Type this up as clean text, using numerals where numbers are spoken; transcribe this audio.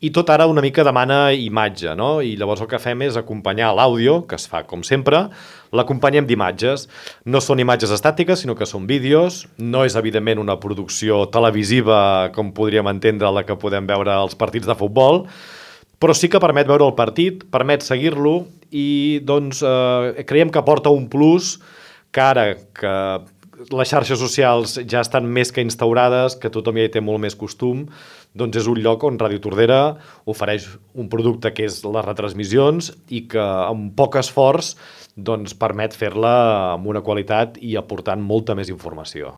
i tot ara una mica demana imatge, no? I llavors el que fem és acompanyar l'àudio, que es fa com sempre, l'acompanyem d'imatges. No són imatges estàtiques, sinó que són vídeos. No és, evidentment, una producció televisiva, com podríem entendre, la que podem veure als partits de futbol, però sí que permet veure el partit, permet seguir-lo i doncs, creiem que aporta un plus que ara que les xarxes socials ja estan més que instaurades, que tothom ja hi té molt més costum, doncs és un lloc on Ràdio Tordera ofereix un producte que és les retransmissions i que amb poc esforç doncs, permet fer-la amb una qualitat i aportant molta més informació.